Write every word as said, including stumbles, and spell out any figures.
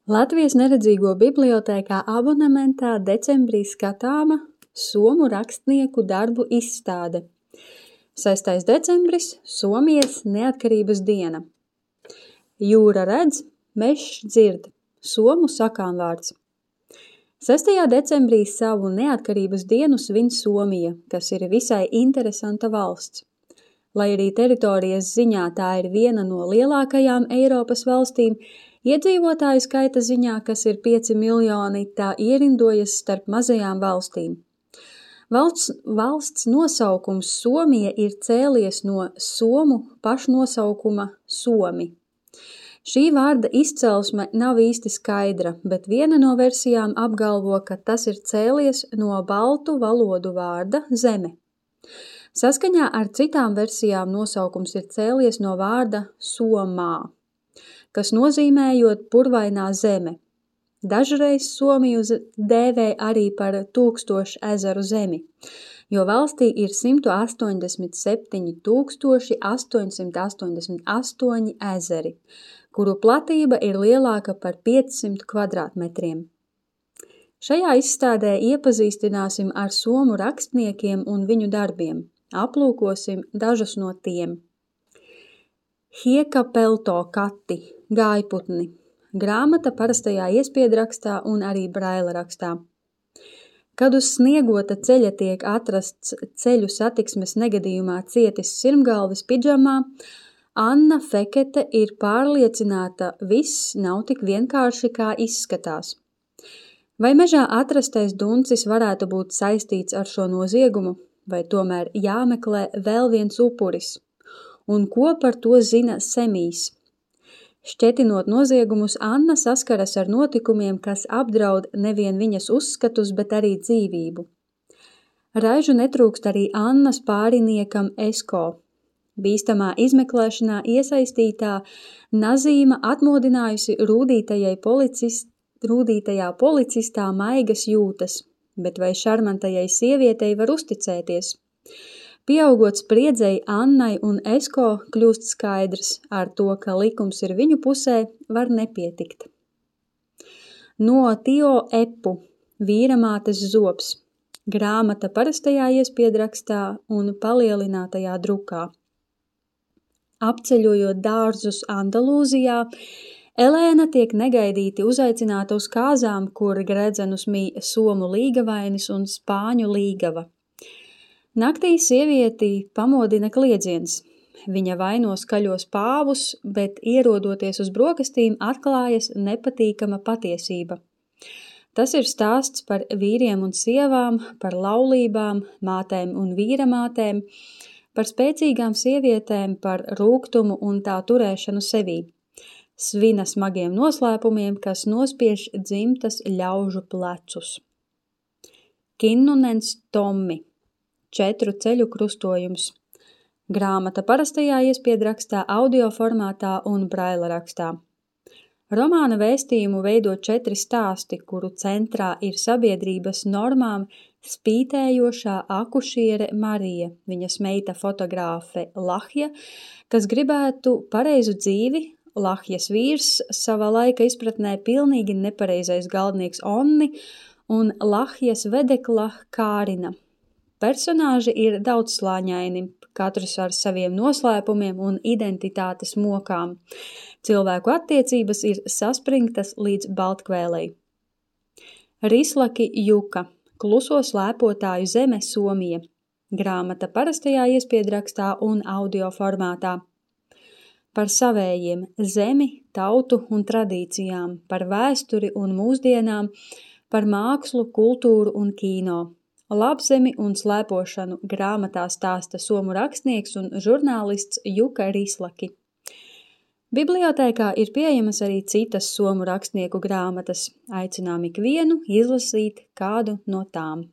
Latvijas neredzīgo bibliotēkā abonementā decembrī skatāma somu rakstnieku darbu izstāde. sestais decembris – Somijas neatkarības diena. Jūra redz, mežs dzird – somu sakāmvārds. sestajā decembrī savu neatkarības dienu svin Somija, kas ir visai interesanta valsts. Lai arī teritorijas ziņā tā ir viena no lielākajām Eiropas valstīm, iedzīvotāju skaita ziņā, kas ir pieci miljoni, tā ierindojas starp mazajām valstīm. Valsts, valsts nosaukums Somija ir cēlies no somu pašnosaukuma Somi. Šī vārda izcelsme nav īsti skaidra, bet viena no versijām apgalvo, ka tas ir cēlies no baltu valodu vārda zeme. Saskaņā ar citām versijām nosaukums ir cēlies no vārda somā, kas nozīmējot purvainā zeme. Dažreiz Somiju dēvē arī par tūkstošu ezeru zemi, jo valstī ir simt astoņdesmit septiņi tūkstoši astoņsimt astoņdesmit astoņi ezeri, kuru platība ir lielāka par piecsimt kvadrātmetriem. Šajā izstādē iepazīstināsim ar somu rakstniekiem un viņu darbiem. Aplūkosim dažus no tiem. Hiekapelto kati, gājputni. Grāmata parastajā iespiedrakstā un arī braila rakstā. Kad uz sniegota ceļa tiek atrasts ceļu satiksmes negadījumā cietis sirmgalvis pidžamā, Anna Fekete ir pārliecināta, viss nav tik vienkārši, kā izskatās. Vai mežā atrastais duncis varētu būt saistīts ar šo noziegumu, vai tomēr jāmeklē vēl viens upuris? Un ko par to zina Semijs? Šķetinot noziegumus, Anna saskaras ar notikumiem, kas apdraud nevien viņas uzskatus, bet arī dzīvību. Raižu netrūkst arī Annas pāriniekam Esko. Bīstamā izmeklēšanā iesaistītā Nazīma atmodinājusi rūdītajai policist, rūdītajā policistā maigas jūtas, bet vai šarmantajai sievietei var uzticēties? Pieaugot spriedzei, Annai un Esko kļūst skaidrs, ar to, ka likums ir viņu pusē, var nepietikt. No Tio Epu, Vīramātes zobs, grāmata parastajā iespiedrakstā un palielinātajā drukā. Apceļojot dārzus Andalūzijā, Elēna tiek negaidīti uzaicināta uz kāzām, kur gredzenus mīja somu līgavainis un spāņu līgava. Naktī sievieti pamodina kliedziens. Viņa vaino skaļos pāvus, bet ierodoties uz brokastīm atklājas nepatīkama patiesība. Tas ir stāsts par vīriem un sievām, par laulībām, mātēm un vīramātēm, par spēcīgām sievietēm, par rūgtumu un tā turēšanu sevī. Svina smagiem noslēpumiem, kas nospiež dzimtas ļaužu plecus. Kinnunens Tommi, Četru ceļu krustojums. Grāmata parastajā iespiedrakstā, audio formātā un braila rakstā. Romāna vēstījumu veido četri stāsti, kuru centrā ir sabiedrības normām spītējošā akušiere Marija, viņas meita fotogrāfe Lahja, kas gribētu pareizu dzīvi, Lahjas vīrs, savā laika izpratnē pilnīgi nepareizais galdnieks Onni un Lahjas vedekla Kārina. Personāži ir daudzslāņaini, katrs ar saviem noslēpumiem un identitātes mokām. Cilvēku attiecības ir saspringtas līdz baltkvēlei. Rislaki Juka, Kluso slēpotāju zeme Somija. Grāmata parastajā iespiedrakstā un audio formātā. Par savējiem, zemi, tautu un tradīcijām, par vēsturi un mūsdienām, par mākslu, kultūru un kīno. Labzemi un slēpošanu grāmatā stāsta somu rakstnieks un žurnālists Juka Rislaki. Bibliotēkā ir pieejamas arī citas somu rakstnieku grāmatas. Aicinām ikvienu izlasīt kādu no tām.